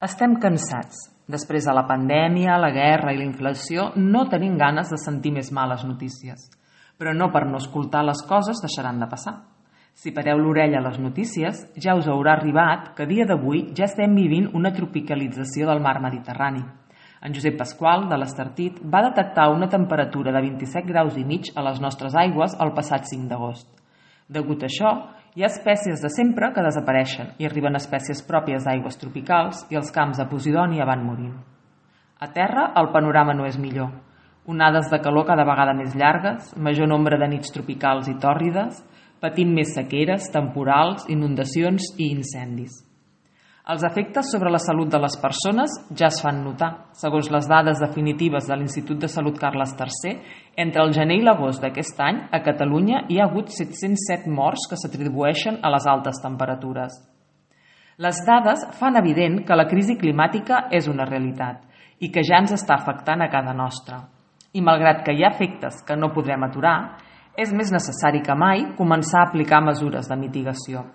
Estem cansats. Després de la pandèmia, la guerra i la inflació, no tenim ganes de sentir més males notícies. Però no per no escoltar les coses deixaran de passar. Si pareu l'orella a les notícies, ja us haurà arribat que a dia d'avui ja estem vivint una tropicalització del mar Mediterrani. En Josep Pasqual, de l'Estartit, va detectar una temperatura de 27 graus i mig a les nostres aigües el passat 5 d'agost. Degut a això, hi ha espècies de sempre que desapareixen i arriben espècies pròpies d'aigües tropicals i els camps de Posidònia van morint. A terra, el panorama no és millor. Onades de calor cada vegada més llargues, major nombre de nits tropicals i tòrrides, patint més sequeres, temporals, inundacions i incendis. Els efectes sobre la salut de les persones ja es fan notar. Segons les dades definitives de l'Institut de Salut Carles III, entre el gener i l'agost d'aquest any, a Catalunya hi ha hagut 707 morts que s'atribueixen a les altes temperatures. Les dades fan evident que la crisi climàtica és una realitat i que ja ens està afectant a casa nostra. I malgrat que hi ha efectes que no podrem aturar, és més necessari que mai començar a aplicar mesures de mitigació.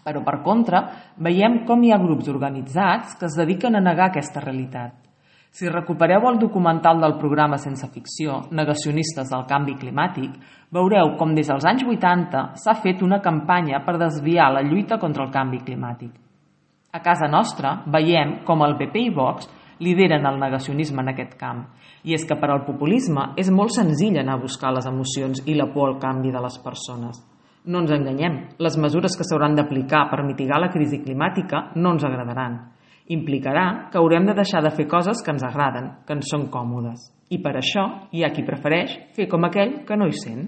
Però, per contra, veiem com hi ha grups organitzats que es dediquen a negar aquesta realitat. Si recupereu el documental del programa Sense Ficció, Negacionistes del Canvi Climàtic, veureu com des dels anys 80 s'ha fet una campanya per desviar la lluita contra el canvi climàtic. A casa nostra veiem com el PP i Vox lideren el negacionisme en aquest camp. I és que per al populisme és molt senzill anar a buscar les emocions i la por al canvi de les persones. No ens enganyem, les mesures que s'hauran d'aplicar per mitigar la crisi climàtica no ens agradaran. Implicarà que haurem de deixar de fer coses que ens agraden, que ens són còmodes. I per això hi ha qui prefereix fer com aquell que no hi sent.